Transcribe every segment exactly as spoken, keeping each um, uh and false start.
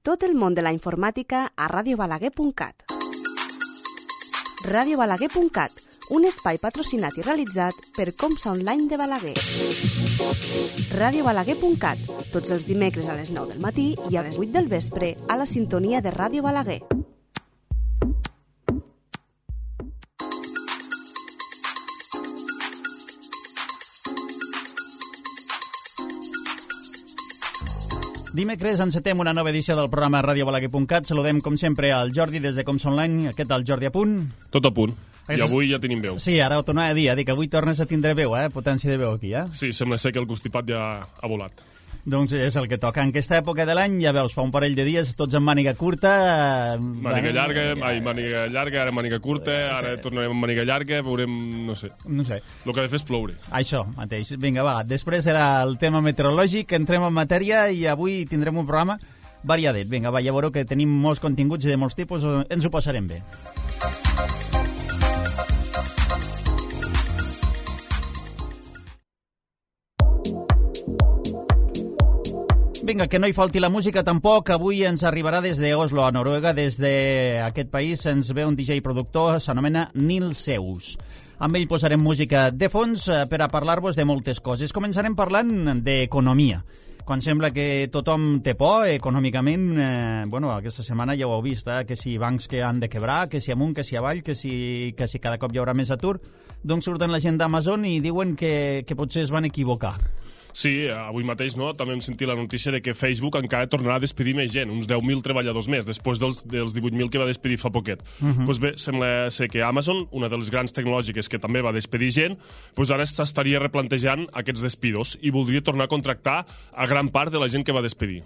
Tot el món de la informàtica a radio balaguer punt cat. radio balaguer punt cat, un espai patrocinat i realitzat per Comsa Online de Balaguer. radio balaguer punt cat, tots els dimecres a les nou del matí i a les vuit del vespre a la sintonia de Ràdio Balaguer. Dimecres encetem una nova edició del programa radio balaguer punt cat. Saludem, com sempre, al Jordi des de Comsa Online. Què tal, Jordi, a punt? Tot a punt. I avui ja tenim veu. Sí, ara ho tornava a dir, eh? Dic que avui tornes a tindre veu, eh? Potència de veu aquí, eh? Sí, sembla ser que el constipat ja ha volat. Doncs és el que toca. En aquesta època de l'any, ja veus, fa un parell de dies, tots amb màniga curta... Màniga llarga, ai, màniga llarga, ara màniga curta, ara tornarem amb màniga llarga, veurem, no sé. No sé. El que ha de fer és ploure. Això mateix. Vinga, va. Després era el tema meteorològic, entrem en matèria i avui tindrem un programa variadet. Vinga, va, ja veureu que tenim molts continguts i de molts tipus, ens ho passarem bé. Vinga, que no hi falti la música tampoc. Avui ens arribarà des d'Oslo, a Noruega. Des d'aquest país ens ve un D J productor, s'anomena Nils Seus. Amb ell posarem música de fons per a parlar-vos de moltes coses. Començarem parlant d'economia. Quan sembla que tothom té por econòmicament, eh, bueno, aquesta setmana ja ho heu vist, eh, que si bancs que han de quebrar, que si amunt, que si avall, que si, que si cada cop hi haurà més atur, doncs surten la gent d'Amazon i diuen que, que potser es van equivocar. Sí, avui mateix no, també hem sentit la notícia de que Facebook encara tornarà a despedir més gent, uns deu mil treballadors més, després dels, dels divuit mil que va despedir fa poquet. Uh -huh. Pues bé, sembla ser que Amazon, una de les grans tecnològiques que també va despedir gent, pues ara s'estaria replantejant aquests despidos i voldria tornar a contractar a gran part de la gent que va despedir.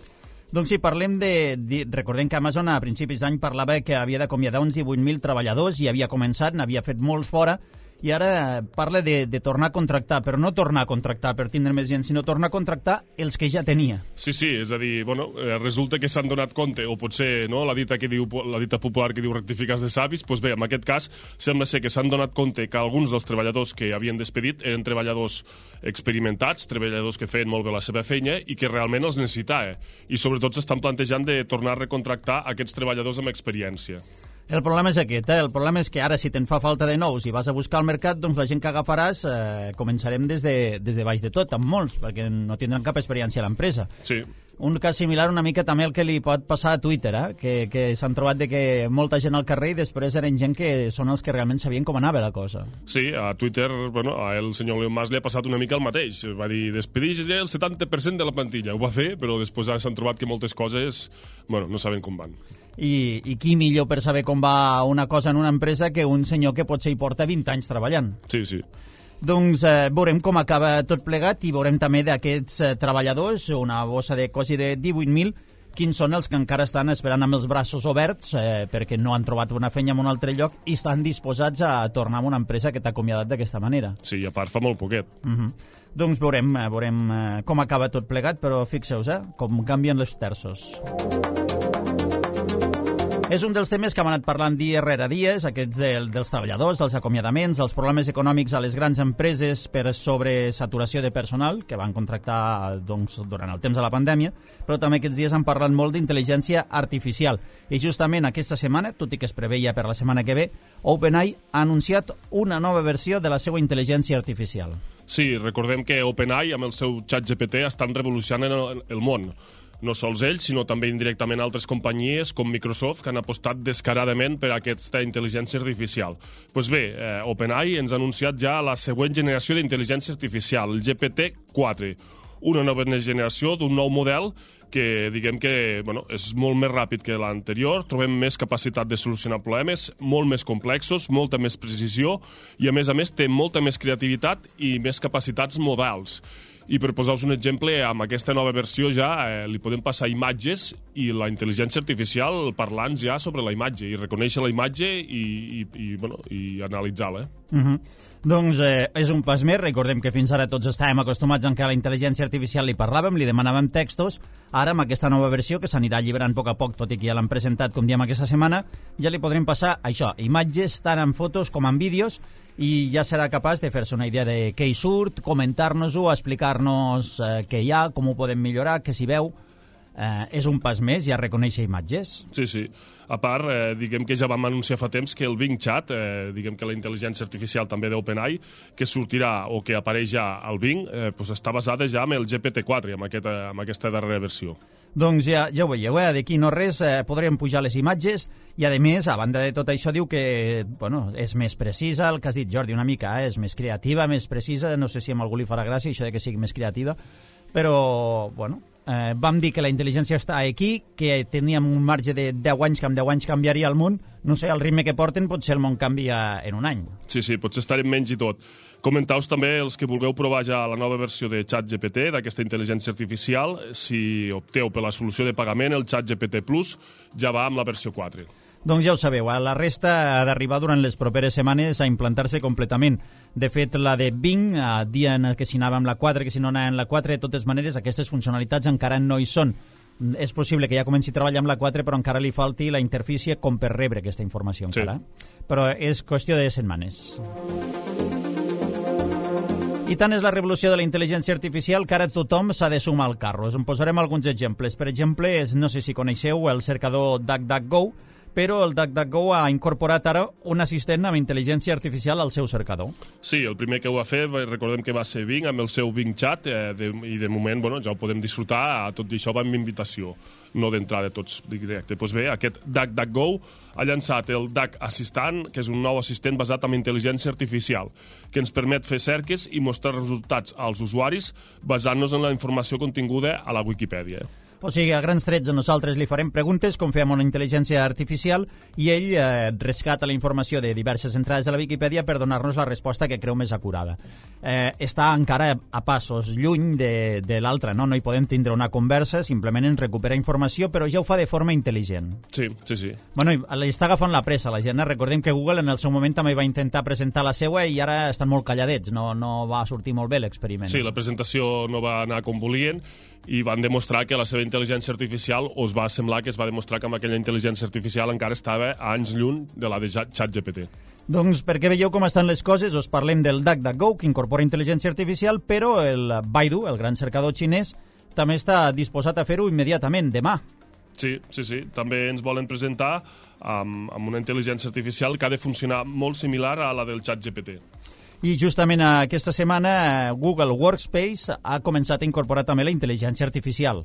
Doncs sí, parlem de... de recordem que Amazon a principis d'any parlava que havia d'acomiadar uns divuit mil treballadors i havia començat, n'havia fet molts fora, i ara parla de, de tornar a contractar, però no tornar a contractar per tindre més gent, sinó tornar a contractar els que ja tenia. Sí, sí, és a dir, bueno, eh, resulta que s'han donat compte, o potser no, la dita que diu la dita popular que diu rectificats de savis, doncs bé, en aquest cas sembla ser que s'han donat compte que alguns dels treballadors que havien despedit eren treballadors experimentats, treballadors que feien molt bé la seva feina i que realment els necessitava. I sobretot s'estan plantejant de tornar a recontractar aquests treballadors amb experiència. El problema és aquest, eh? El problema és que ara si te'n fa falta de nous i vas a buscar al mercat, doncs la gent que agafaràs eh, començarem des de, des de baix de tot, amb molts, perquè no tindran cap experiència a l'empresa. Sí. Un cas similar una mica també el que li pot passar a Twitter, eh? que, que s'han trobat de que molta gent al carrer i després eren gent que són els que realment sabien com anava la cosa. Sí, a Twitter, bueno, a el senyor Elon Musk li ha passat una mica el mateix. Va dir, despedeix el setanta per cent de la plantilla. Ho va fer, però després ara s'han trobat que moltes coses, bueno, no saben com van. I, I qui millor per saber com va una cosa en una empresa que un senyor que potser hi porta vint anys treballant. Sí, sí. Doncs eh, veurem com acaba tot plegat i veurem també d'aquests eh, treballadors, una bossa de quasi de divuit mil, quins són els que encara estan esperant amb els braços oberts eh, perquè no han trobat una feina en un altre lloc i estan disposats a tornar a una empresa que t'ha acomiadat d'aquesta manera. Sí, a part fa molt poquet. Uh-huh. Doncs veurem, eh, veurem eh, com acaba tot plegat, però fixeu-vos, eh, com canvien els terços. És un dels temes que hem anat parlant dia rere dies, aquests del, dels treballadors, dels acomiadaments, els problemes econòmics a les grans empreses per sobresaturació de personal, que van contractar doncs, durant el temps de la pandèmia, però també aquests dies han parlat molt d'intel·ligència artificial. I justament aquesta setmana, tot i que es preveia per la setmana que ve, OpenAI ha anunciat una nova versió de la seva intel·ligència artificial. Sí, recordem que OpenAI, amb el seu ChatGPT, estan revolucionant el, el món. No sols ells, sinó també indirectament altres companyies com Microsoft que han apostat descaradament per a aquesta intel·ligència artificial. Doncs pues bé, eh, OpenAI ens ha anunciat ja la següent generació d'intel·ligència artificial, el G P T quatre, una nova generació d'un nou model que diguem que bueno, és molt més ràpid que l'anterior, trobem més capacitat de solucionar problemes, molt més complexos, molta més precisió i a més a més té molta més creativitat i més capacitats modals. I per posar-vos un exemple, amb aquesta nova versió ja eh, li podem passar imatges i la intel·ligència artificial parlant ja sobre la imatge i reconèixer la imatge i, i, i, bueno, i analitzar-la. Eh? Uh-huh. Doncs eh, és un pas més. Recordem que fins ara tots estàvem acostumats en que a la intel·ligència artificial li parlàvem, li demanàvem textos. Ara, amb aquesta nova versió, que s'anirà alliberant a poc a poc, tot i que ja l'han presentat, com diem, aquesta setmana, ja li podrem passar això, imatges tant en fotos com en vídeos, i ja serà capaç de fer-se una idea de què hi surt, comentar-nos-ho, explicar-nos eh, què hi ha, com ho podem millorar, què s'hi veu. eh, és un pas més, ja reconèixer imatges. Sí, sí. A part, eh, diguem que ja vam anunciar fa temps que el Bing Chat, eh, diguem que la intel·ligència artificial també d'OpenAI, que sortirà o que apareix ja al Bing, eh, pues està basada ja en el G P T quatre, amb, aquest, amb aquesta darrera versió. Doncs ja, ja ho veieu, eh? D'aquí no res, eh, podrem pujar les imatges i, a més, a banda de tot això, diu que bueno, és més precisa, el que has dit, Jordi, una mica, eh? És més creativa, més precisa, no sé si a algú li farà gràcia això de que sigui més creativa, però, bueno, eh, vam dir que la intel·ligència està aquí, que teníem un marge de deu anys, que amb deu anys canviaria el món, no sé, el ritme que porten potser el món canvia en un any. Sí, sí, potser estarem menys i tot. Comentau també els que vulgueu provar ja la nova versió de ChatGPT, d'aquesta intel·ligència artificial. Si opteu per la solució de pagament, el ChatGPT Plus ja va amb la versió quatre. Doncs ja ho sabeu, la resta ha d'arribar durant les properes setmanes a implantar-se completament. De fet, la de Bing, dia en què s'hi anava amb la quatre, que si no anava amb la quatre, de totes maneres, aquestes funcionalitats encara no hi són. És possible que ja comenci a treballar amb la quatre, però encara li falti la interfície com per rebre aquesta informació encara. Sí. Però és qüestió de setmanes. I tant és la revolució de la intel·ligència artificial que ara tothom s'ha de sumar al carro. Us en posarem alguns exemples. Per exemple, no sé si coneixeu el cercador DuckDuckGo, però el DuckDuckGo ha incorporat ara un assistent amb intel·ligència artificial al seu cercador. Sí, el primer que ho va fer, recordem que va ser Bing, amb el seu Bing Chat, eh, de, i de moment bueno, ja ho podem disfrutar, a tot i això va amb invitació, no d'entrada tots directe. Doncs bé, aquest DuckDuckGo ha llançat el Duck Assistant, que és un nou assistent basat en intel·ligència artificial, que ens permet fer cerques i mostrar resultats als usuaris basant-nos en la informació continguda a la Wikipedia. O sigui, a grans trets nosaltres li farem preguntes com fem una intel·ligència artificial i ell eh, rescata la informació de diverses entrades de la Viquipèdia per donar-nos la resposta que creu més acurada. Eh, està encara a passos lluny de, de l'altre, no? No hi podem tindre una conversa, simplement ens recupera informació, però ja ho fa de forma intel·ligent. Sí, sí, sí. Bueno, li està agafant la pressa la gent, eh? Recordem que Google en el seu moment també va intentar presentar la seua i ara estan molt calladets, no, no va sortir molt bé l'experiment. Sí, la presentació no va anar com volien i van demostrar que la seva intel·ligència artificial, o es va semblar que es va demostrar que amb aquella intel·ligència artificial encara estava a anys lluny de la de ChatGPT. Doncs perquè veieu com estan les coses, us parlem del DuckDuckGo, que incorpora intel·ligència artificial, però el Baidu, el gran cercador xinès, també està disposat a fer-ho immediatament, demà. Sí, sí, sí. També ens volen presentar amb, amb una intel·ligència artificial que ha de funcionar molt similar a la del ChatGPT. I justament aquesta setmana Google Workspace ha començat a incorporar també la intel·ligència artificial.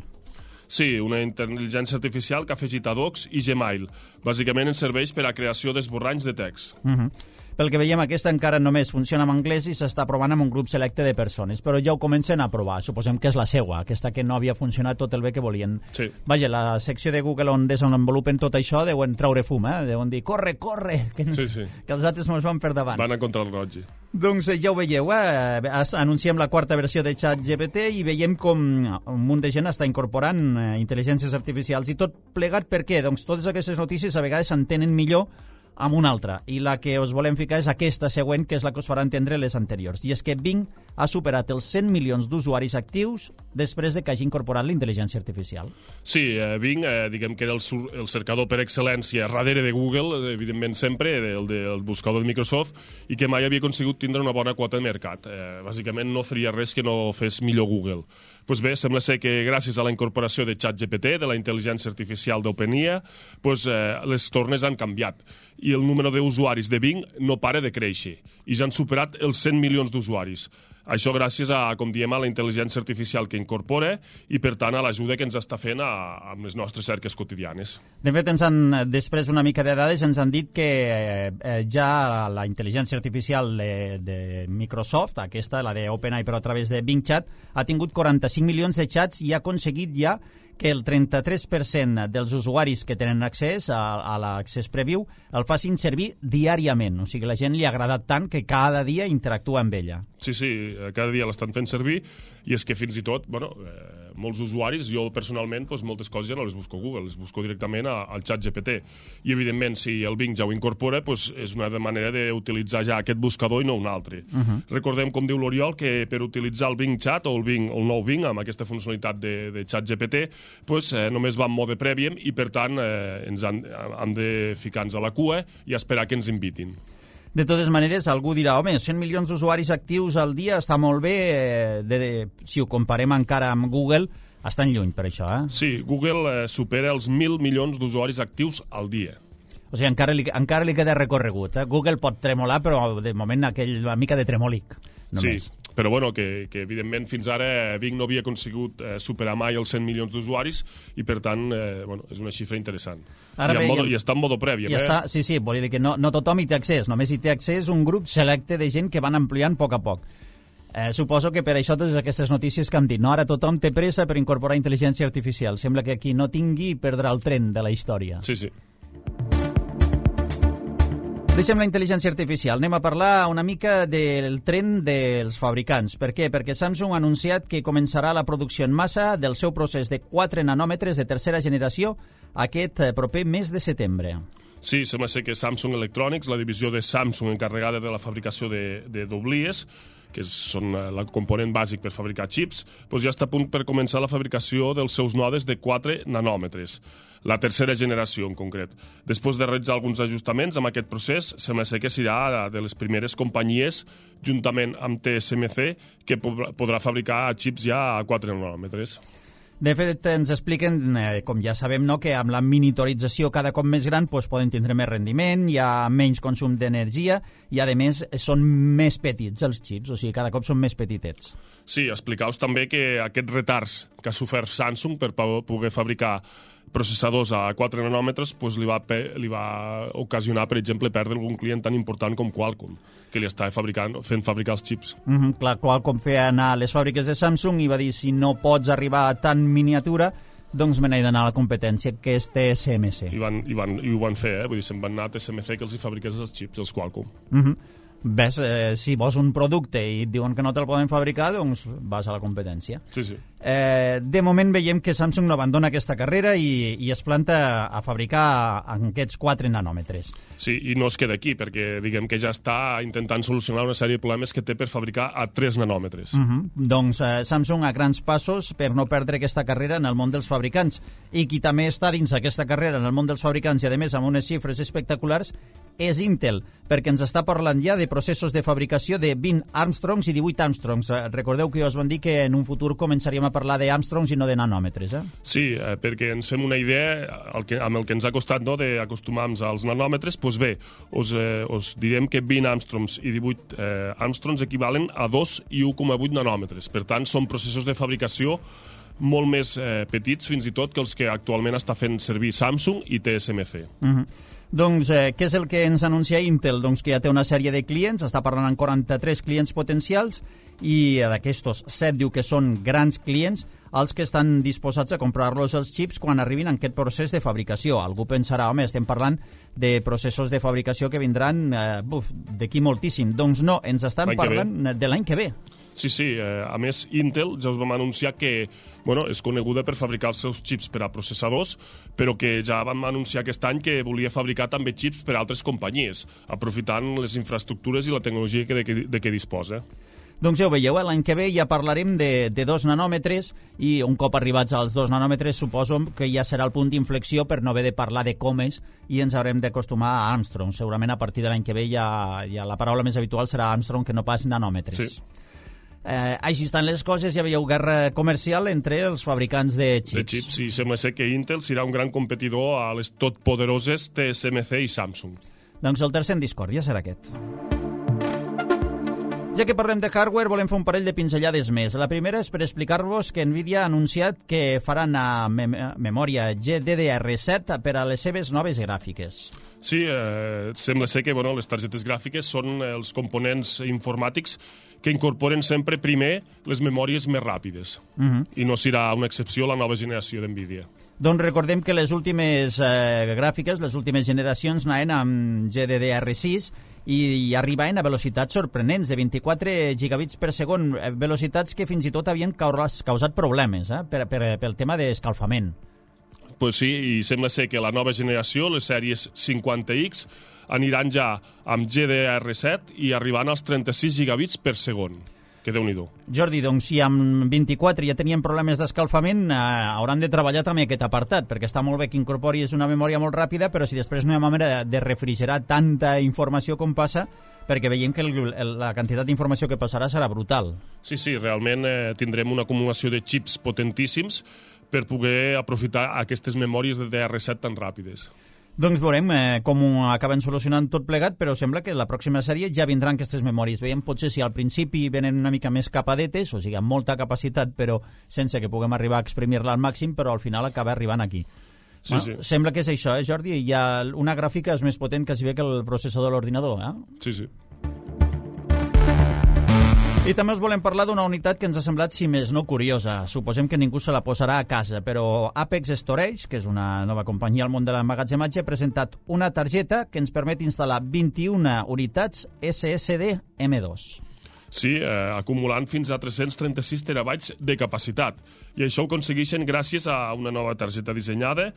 Sí, una intel·ligència artificial que ha afegit a Docs i Gmail. Bàsicament ens serveix per a creació d'esborranys de text. Uh-huh. Pel que veiem, aquesta encara només funciona en anglès i s'està provant amb un grup selecte de persones, però ja ho comencen a provar. Suposem que és la seua, aquesta que no havia funcionat tot el bé que volien. Sí. Vaja, la secció de Google on desenvolupen tot això deuen traure fum, eh? Deuen dir, corre, corre, que, ens, sí, sí. que els altres ens van per davant. Van a contra el roig. Doncs ja ho veieu, eh? Anunciem la quarta versió de ChatGPT i veiem com un munt de gent està incorporant eh, intel·ligències artificials i tot plegat per què? Doncs totes aquestes notícies a vegades s'entenen millor amb una altra, i la que us volem ficar és aquesta següent, que és la que us farà entendre les anteriors, i és que Bing ha superat els cent milions d'usuaris actius després de que hagi incorporat la intel·ligència artificial. Sí, eh, Bing, eh, diguem que era el, el cercador per excel·lència darrere de Google, evidentment sempre, el del buscador de Microsoft, i que mai havia aconsegut tindre una bona quota de mercat. Eh, bàsicament no faria res que no fes millor Google. Pues bé, sembla ser que gràcies a la incorporació de ChatGPT, de la intel·ligència artificial d'OpenAI, pues, eh, les tornes han canviat i el número d'usuaris de Bing no para de créixer i ja han superat els cent milions d'usuaris. Això gràcies a, com diem, a la intel·ligència artificial que incorpora i, per tant, a l'ajuda que ens està fent a, amb les nostres cerques quotidianes. De fet, ens han, després d'una mica de dades, ens han dit que eh, ja la intel·ligència artificial de, de Microsoft, aquesta, la d'OpenAI, però a través de Bing Chat, ha tingut quaranta-cinc milions de xats i ha aconseguit ja que el trenta-tres per cent dels usuaris que tenen accés a, a l'accés preview el facin servir diàriament. O sigui, la gent li ha agradat tant que cada dia interactua amb ella. Sí, sí, cada dia l'estan fent servir i és que fins i tot, bueno, eh, molts usuaris, jo personalment, doncs, moltes coses ja no les busco a Google, les busco directament a, al ChatGPT. I, evidentment, si el Bing ja ho incorpora, doncs, és una manera d'utilitzar ja aquest buscador i no un altre. Uh-huh. Recordem, com diu l'Oriol, que per utilitzar el Bing Chat o el, Bing, el nou Bing, amb aquesta funcionalitat de, de ChatGPT, pues, eh, només va en mode Premium i, per tant, eh, ens han, han de ficar-nos a la cua i esperar que ens invitin. De totes maneres, algú dirà, home, cent milions d'usuaris actius al dia està molt bé, eh, de, de, si ho comparem encara amb Google, Estan lluny per això, eh? Sí, Google eh, supera els mil milions d'usuaris actius al dia. O sigui, encara li, encara li queda recorregut. Eh? Google pot tremolar, però de moment aquell, una mica de tremòlic. Només. Sí, però bueno, que, que evidentment fins ara Bing no havia aconsegut eh, superar mai els cent milions d'usuaris i per tant, eh, bueno, és una xifra interessant. Ara I, bé, modo, i, I està en modo previ. I eh? està, sí, sí, vol dir que no, no tothom hi té accés, només hi té accés un grup selecte de gent que van ampliant a poc a poc. Eh, suposo que per això totes aquestes notícies que hem dit, no? Ara tothom té pressa per incorporar intel·ligència artificial. Sembla que aquí no tingui perdrà el tren de la història. Sí, sí. Deixem la intel·ligència artificial. Anem a parlar una mica del tren dels fabricants. Per què? Perquè Samsung ha anunciat que començarà la producció en massa del seu procés de quatre nanòmetres de tercera generació aquest proper mes de setembre. Sí, sembla ser que Samsung Electronics, la divisió de Samsung encarregada de la fabricació de, de doblies, que són el component bàsic per fabricar xips, doncs ja està a punt per començar la fabricació dels seus nodes de quatre nanòmetres, la tercera generació en concret. Després de realitzar alguns ajustaments amb aquest procés, sembla ser que serà de les primeres companyies, juntament amb T S M C, que podrà fabricar xips ja a quatre nanòmetres. De fet, ens expliquen, eh, com ja sabem, no, que amb la miniaturització cada cop més gran doncs, poden tindre més rendiment, hi ha menys consum d'energia i, a més, són més petits els xips, o sigui, cada cop són més petitets. Sí, explicaus també que aquests retards que ha sofert Samsung per poder fabricar processadors a quatre nanòmetres pues, li, va, li va ocasionar, per exemple, perdre algun client tan important com Qualcomm, que li està fabricant, fent fabricar els xips. Mm-hmm, clar, Qualcomm feia anar a les fàbriques de Samsung i va dir si no pots arribar a tan miniatura, doncs me n'he d'anar a la competència, que és T S M C. I, van, i, van, i ho van fer, eh? Vull dir, se'n van anar a T S M C que els hi fabriqués els xips, els Qualcomm. Mm-hmm. Ves, eh, si vols un producte i et diuen que no te'l poden fabricar, doncs vas a la competència. Sí, sí. Eh, de moment veiem que Samsung no abandona aquesta carrera i, i es planta a fabricar en aquests quatre nanòmetres. Sí, i no es queda aquí, perquè diguem que ja està intentant solucionar una sèrie de problemes que té per fabricar a tres nanòmetres. Uh-huh. Doncs eh, Samsung a grans passos per no perdre aquesta carrera en el món dels fabricants. I qui també està dins aquesta carrera en el món dels fabricants i, a més, amb unes xifres espectaculars, és Intel, perquè ens està parlant ja de processos de fabricació de vint Armstrongs i divuit Armstrongs. Eh, recordeu que jo us van dir que en un futur començaríem a parlar de Armstrongs i no de nanòmetres, eh? Sí, eh, perquè ens fem una idea el que, amb el que ens ha costat, no, d'acostumar-nos als nanòmetres. Doncs bé, us, eh, us direm que vint Armstrongs i divuit eh, Armstrongs equivalen a dos i u coma vuit nanòmetres. Per tant, són processos de fabricació molt més eh, petits, fins i tot, que els que actualment està fent servir Samsung i T S M C. Mhm. Doncs eh, què és el que ens anuncia Intel? Doncs que ja té una sèrie de clients, està parlant amb quaranta-tres clients potencials i d'aquestos set diu que són grans clients els que estan disposats a comprar-los els xips quan arribin en aquest procés de fabricació. Algú pensarà, home, estem parlant de processos de fabricació que vindran eh, buf, d'aquí moltíssim. Doncs no, ens estan parlant de l'any que ve. Sí, sí. Eh, a més, Intel ja us vam anunciar que bueno, és coneguda per fabricar els seus xips per a processadors, però que ja vam anunciar aquest any que volia fabricar també xips per a altres companyies, aprofitant les infraestructures i la tecnologia que de, que, de què disposa. Doncs ja ho veieu, l'any que ve ja parlarem de, de dos nanòmetres i un cop arribats als dos nanòmetres suposo que ja serà el punt d'inflexió per no haver de parlar de comes i ens haurem d'acostumar a Armstrong. Segurament a partir de l'any que ve ja, ja la paraula més habitual serà Armstrong que no pas nanòmetres. Sí. Eh, així estan les coses, ja veieu guerra comercial entre els fabricants de xips. De xips, i sembla ser que Intel serà un gran competidor a les totpoderoses T S M C i Samsung. Doncs el tercer en discòrdia serà aquest. Ja que parlem de hardware, volem fer un parell de pinzellades més. La primera és per explicar-vos que Nvidia ha anunciat que faran a mem memòria G D D R set per a les seves noves gràfiques. Sí, eh, sembla ser que bueno, les targetes gràfiques són els components informàtics que incorporen sempre primer les memòries més ràpides. Uh-huh. I no serà una excepció la nova generació d'Nvidia. Doncs recordem que les últimes eh, gràfiques, les últimes generacions anaven amb G D D R sis i, i arribaven a velocitats sorprenents de vint-i-quatre gigabits per segon, velocitats que fins i tot havien causat problemes eh, per, per, pel tema d'escalfament. Pues sí, i sembla ser que la nova generació, les sèries cinquanta X, aniran ja amb G D D R set i arribant als trenta-sis gigabits per segon. que Déu-n'hi-do. Jordi, doncs si amb vint-i-quatre ja tenien problemes d'escalfament, eh, hauran de treballar també aquest apartat, perquè està molt bé que incorporis una memòria molt ràpida, però si després no hi ha manera de refrigerar tanta informació com passa, perquè veiem que el, el, la quantitat d'informació que passarà serà brutal. Sí, sí, realment eh, tindrem una acumulació de xips potentíssims per poder aprofitar aquestes memòries de D R set tan ràpides. Doncs veurem eh, com ho acaben solucionant tot plegat, però sembla que la pròxima sèrie ja vindran aquestes memòries. Veiem potser si al principi venen una mica més capadetes, o sigui, amb molta capacitat, però sense que puguem arribar a exprimir-la al màxim, però al final acaba arribant aquí. Sí, bueno, sí. Sembla que és això, eh, Jordi? Hi ha una gràfica és més potent quasi bé que el processador de l'ordinador, eh? Sí, sí. I també us volem parlar d'una unitat que ens ha semblat, si més no, curiosa. Suposem que ningú se la posarà a casa, però Apex Storage, que és una nova companyia al món de l'emmagatzematge, ha presentat una targeta que ens permet instal·lar vint-i-una unitats S S D M dos. Sí, eh, acumulant fins a tres-cents trenta-sis terabytes de capacitat. I això ho aconsegueixen gràcies a una nova targeta dissenyada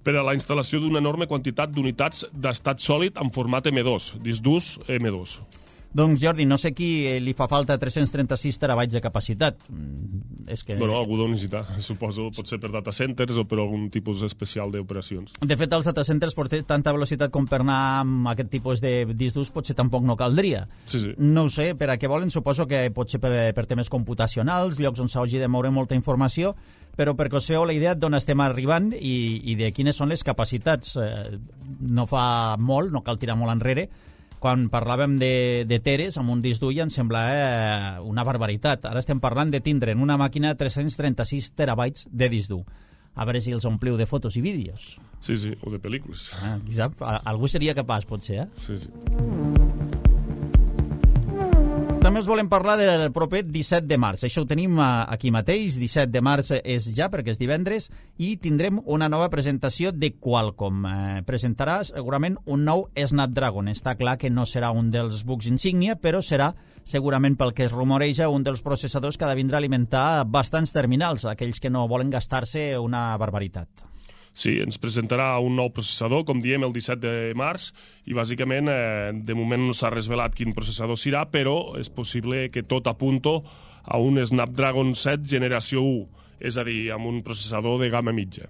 per a la instal·lació d'una enorme quantitat d'unitats d'estat sòlid en format M dos, disc durs M dos. Doncs, Jordi, no sé qui li fa falta tres-cents trenta-sis terabytes de capacitat. Mm, és que... Bueno, algú deu necessitar, suposo, pot ser per data centers o per algun tipus especial d'operacions. De fet, als data centers per tanta velocitat com per anar amb aquest tipus de disc durs potser tampoc no caldria. Sí, sí. No ho sé, per a què volen, suposo que pot ser per, per temes computacionals, llocs on s'hagi de moure molta informació, però perquè us feu la idea d'on estem arribant i, i de quines són les capacitats. Eh, no fa molt, no cal tirar molt enrere, quan parlàvem de, de teres amb un disc dur ja ens sembla eh, una barbaritat. Ara estem parlant de tindre en una màquina tres-cents trenta-sis terabytes de disc dur. A veure si els ompliu de fotos i vídeos. Sí, sí, o de pel·lícules. Ah, qui sap? Algú seria capaç, potser, eh? Sí, sí. També us volem parlar del proper disset de març. Això ho tenim aquí mateix. disset de març és ja, perquè és divendres, i tindrem una nova presentació de Qualcomm. Eh, presentarà segurament un nou Snapdragon. Està clar que no serà un dels bucs insígnia, però serà, segurament pel que es rumoreja, un dels processadors que ha de vindre a alimentar bastants terminals, aquells que no volen gastar-se una barbaritat. Sí, ens presentarà un nou processador, com diem, el disset de març, i bàsicament, eh, de moment no s'ha resvelat quin processador serà, però és possible que tot apunto a un Snapdragon set generació u, és a dir, amb un processador de gamma mitja.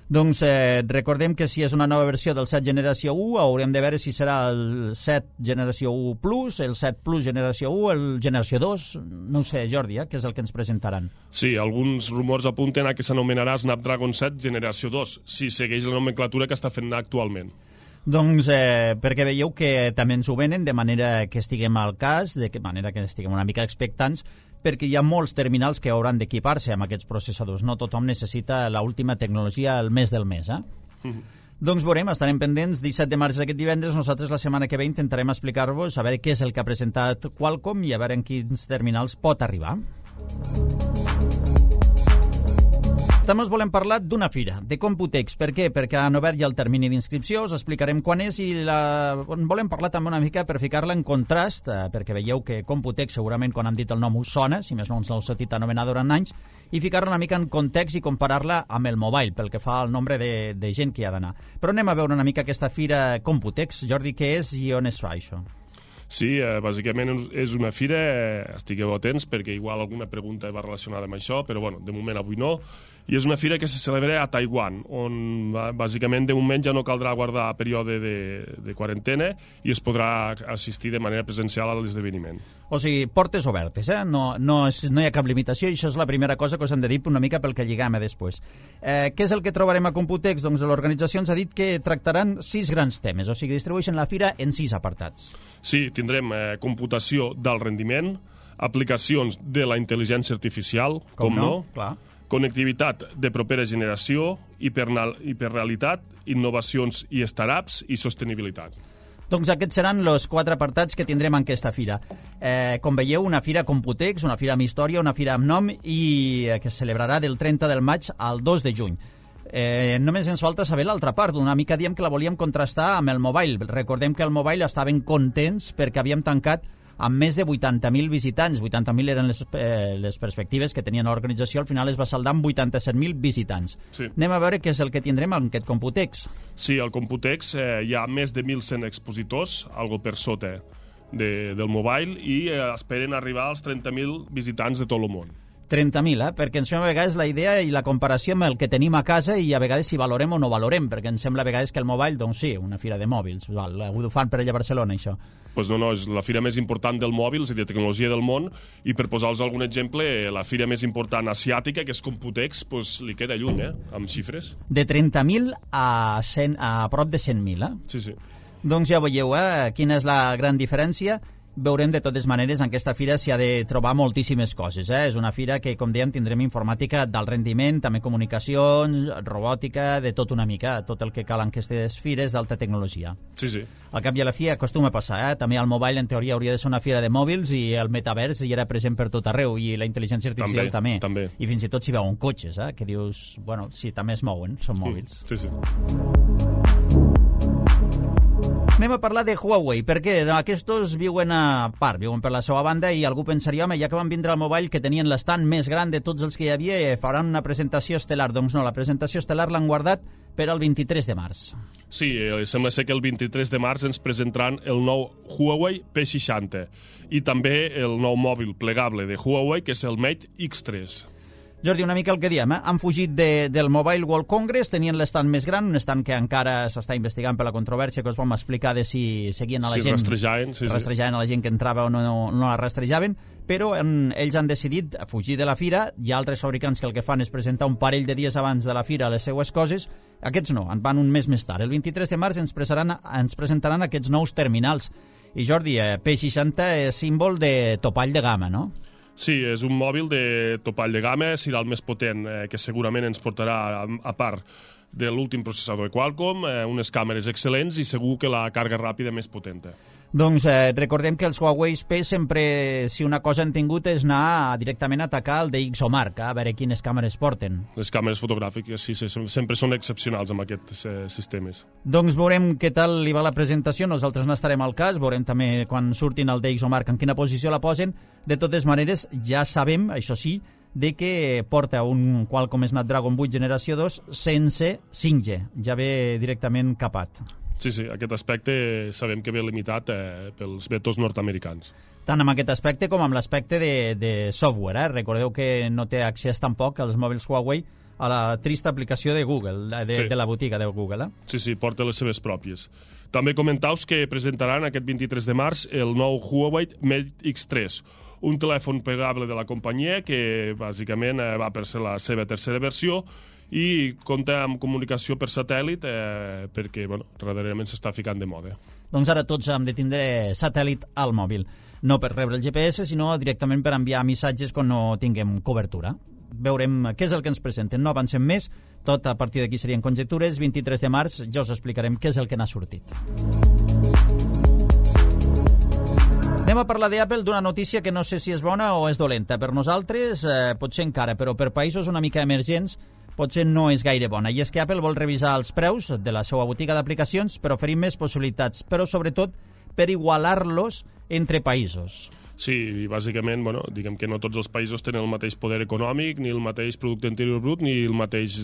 Doncs eh, recordem que si és una nova versió del set generació u, haurem de veure si serà el set generació u Plus, el set Plus generació u, el generació dos, no ho sé, Jordi, eh, què és el que ens presentaran. Sí, alguns rumors apunten a que s'anomenarà Snapdragon set generació dos, si segueix la nomenclatura que està fent actualment. Doncs eh, perquè veieu que també ens ho venen de manera que estiguem al cas, de que manera que estiguem una mica expectants, perquè hi ha molts terminals que hauran d'equipar-se amb aquests processadors. No tothom necessita l'última tecnologia al mes del mes, eh? Mm-hmm. Doncs veurem, estarem pendents. disset de març aquest divendres, nosaltres la setmana que ve intentarem explicar-vos a veure què és el que ha presentat Qualcomm i a veure en quins terminals pot arribar. També us volem parlar d'una fira, de Computex. Per què? Perquè han obert ja el termini d'inscripció, us explicarem quan és i la... volem parlar també una mica per ficar-la en contrast, eh, perquè veieu que Computex segurament quan han dit el nom us sona, si més no ens l'heu sentit anomenar durant anys, i ficar-la una mica en context i comparar-la amb el mobile, pel que fa al nombre de, de gent que hi ha d'anar. Però anem a veure una mica aquesta fira Computex. Jordi, què és i on es fa això? Sí, eh, bàsicament és una fira, eh, estigueu atents perquè igual alguna pregunta va relacionada amb això, però bueno, de moment avui no. I és una fira que se celebra a Taiwan, on bàsicament de moment ja no caldrà guardar període de, de quarantena i es podrà assistir de manera presencial a l'esdeveniment. O sigui, portes obertes, eh? No, no, és, no hi ha cap limitació i això és la primera cosa que us hem de dir una mica pel que lliguem a després. Eh, què és el que trobarem a Computex? Doncs l'organització ens ha dit que tractaran sis grans temes, o sigui, distribueixen la fira en sis apartats. Sí, tindrem eh, computació d'alt rendiment, aplicacions de la intel·ligència artificial, com, com no, no? Clar. Connectivitat de propera generació, hiperrealitat, innovacions i startups i sostenibilitat. Doncs aquests seran els quatre apartats que tindrem en aquesta fira. Eh, com veieu, una fira Computex, una fira amb història, una fira amb nom i eh, que es celebrarà del trenta del maig al dos de juny. Eh, només ens falta saber l'altra part. Una mica diem que la volíem contrastar amb el mobile. Recordem que el mobile estaven contents perquè havíem tancat amb més de vuitanta mil visitants. vuitanta mil eren les, eh, les perspectives que tenien l'organització, al final es va saldar amb vuitanta-set mil visitants. Sí. Anem a veure què és el que tindrem en aquest Computex. Sí, al Computex eh, hi ha més de mil cent expositors, algo per sota de, del mobile i eh, esperen arribar als trenta mil visitants de tot el món. trenta mil, eh? Perquè ens fem a vegades la idea i la comparació amb el que tenim a casa i a vegades si valorem o no valorem, perquè ens sembla a vegades que el mobile, doncs sí, una fira de mòbils, val, ho fan per allà a Barcelona, això. Pues no, no, és la fira més important del mòbil i de tecnologia del món, i per posar-vos algun exemple, la fira més important asiàtica, que és Computex, pues, li queda lluny, eh, amb xifres. De trenta mil a, cent, a prop de cent mil, eh? Sí, sí. Doncs ja veieu, eh, quina és la gran diferència. Veurem de totes maneres en aquesta fira s'hi ha de trobar moltíssimes coses. Eh? És una fira que, com dèiem, tindrem informàtica d'alt rendiment, també comunicacions, robòtica, de tot una mica, tot el que cal en aquestes fires d'alta tecnologia. Sí, sí. Al cap i a la fi acostuma a passar, eh? També el mobile en teoria hauria de ser una fira de mòbils i el metavers hi era present per tot arreu i la intel·ligència artificial també. també. I fins i tot s'hi veuen cotxes, eh? Que dius, bueno, sí, també es mouen, són mòbils. Sí, sí. Anem a parlar de Huawei, perquè aquests viuen a part, viuen per la seva banda i algú pensaria, home, ja que van vindre al mobile que tenien l'estant més gran de tots els que hi havia, faran una presentació estel·lar. Doncs no, la presentació estel·lar l'han guardat per al vint-i-tres de març. Sí, eh, sembla ser que el vint-i-tres de març ens presentaran el nou Huawei P seixanta i també el nou mòbil plegable de Huawei, que és el Mate X tres. Jordi, una mica el que diem, eh? Han fugit de, del Mobile World Congress, tenien l'estant més gran, un estant que encara s'està investigant per la controvèrsia que us vam explicar de si seguien a la sí, gent... rastrejaven, sí, rastrejaven sí. a la gent que entrava o no, no, no la rastrejaven, però en, ells han decidit fugir de la fira. Hi ha altres fabricants que el que fan és presentar un parell de dies abans de la fira les seues coses. Aquests no, en van un mes més tard. El vint-i-tres de març ens, ens presentaran aquests nous terminals. I Jordi, eh, P seixanta és símbol de topall de gamma, no? Sí, és un mòbil de topall de gamma, serà el més potent, eh, que segurament ens portarà, a, a part de l'últim processador de Qualcomm, eh, unes càmeres excel·lents i segur que la càrrega ràpida més potenta. Doncs eh, recordem que els Huawei P sempre, si una cosa han tingut, és anar directament a atacar el D X O Mark, a veure quines càmeres porten. Les càmeres fotogràfiques, sí, sí, sempre són excepcionals amb aquests eh, sistemes. Doncs veurem què tal li va la presentació, nosaltres n'estarem al cas, veurem també quan surtin el D X O Mark en quina posició la posen. De totes maneres, ja sabem, això sí, de que porta un Qualcomm Snapdragon vuit generació dos sense cinc G, ja ve directament capat. Sí, sí, aquest aspecte sabem que ve limitat eh, pels vetos nord-americans. Tant amb aquest aspecte com amb l'aspecte de, de software. Eh? Recordeu que no té accés tampoc als mòbils Huawei a la trista aplicació de Google, de, sí. de la botiga de Google. Eh? Sí, sí, porta les seves pròpies. També comentaus que presentaran aquest vint-i-tres de març el nou Huawei Mate X tres, un telèfon plegable de la companyia que bàsicament eh, va per ser la seva tercera versió i compta amb comunicació per satèl·lit eh, perquè, bueno, darrerament s'està ficant de moda. Doncs ara tots hem de tindre satèl·lit al mòbil, no per rebre el G P S, sinó directament per enviar missatges quan no tinguem cobertura. Veurem què és el que ens presenten, no avancem més, tot a partir d'aquí serien conjectures. Vint-i-tres de març ja us explicarem què és el que n'ha sortit. Anem a parlar d'Apple, d'una notícia que no sé si és bona o és dolenta. Per nosaltres, eh, potser encara, però per països una mica emergents, potser no és gaire bona. I és que Apple vol revisar els preus de la seva botiga d'aplicacions per oferir més possibilitats, però sobretot per igualar-los entre països. Sí, i bàsicament, bueno, diguem que no tots els països tenen el mateix poder econòmic, ni el mateix producte interior brut, ni, el mateix,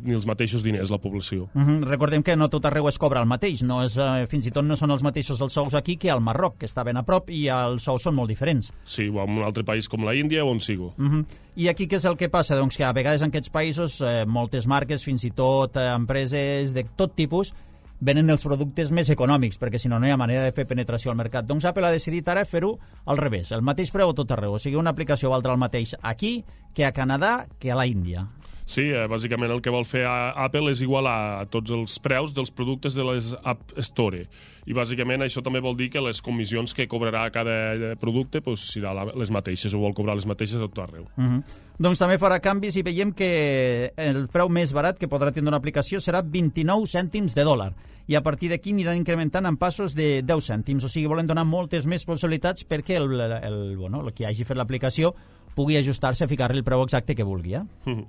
ni els mateixos diners, la població. Uh -huh. Recordem que no tot arreu es cobra el mateix, no és, eh, fins i tot no són els mateixos els sous aquí que al Marroc, que està ben a prop, i els sous són molt diferents. Sí, o en un altre país com la Índia o on sigo. Uh -huh. I aquí què és el que passa? Doncs que a vegades en aquests països eh, moltes marques, fins i tot eh, empreses de tot tipus, venen els productes més econòmics, perquè si no, no hi ha manera de fer penetració al mercat. Doncs Apple ha decidit ara fer-ho al revés, el mateix preu a tot arreu, o sigui, una aplicació valdrà el mateix aquí que a Canadà que a la Índia. Sí, eh, bàsicament el que vol fer Apple és igualar tots els preus dels productes de les App Store. I bàsicament això també vol dir que les comissions que cobrarà cada producte pues, seran les mateixes, o vol cobrar les mateixes a tot arreu. Uh -huh. Doncs també farà canvis i veiem que el preu més barat que podrà tindre una aplicació serà vint-i-nou cèntims de dòlar. I a partir d'aquí aniran incrementant en passos de deu cèntims. O sigui, volen donar moltes més possibilitats perquè el, el, el, bueno, el que hagi fet l'aplicació pugui ajustar-se a ficar-li el preu exacte que vulgui. Eh? Uh -huh.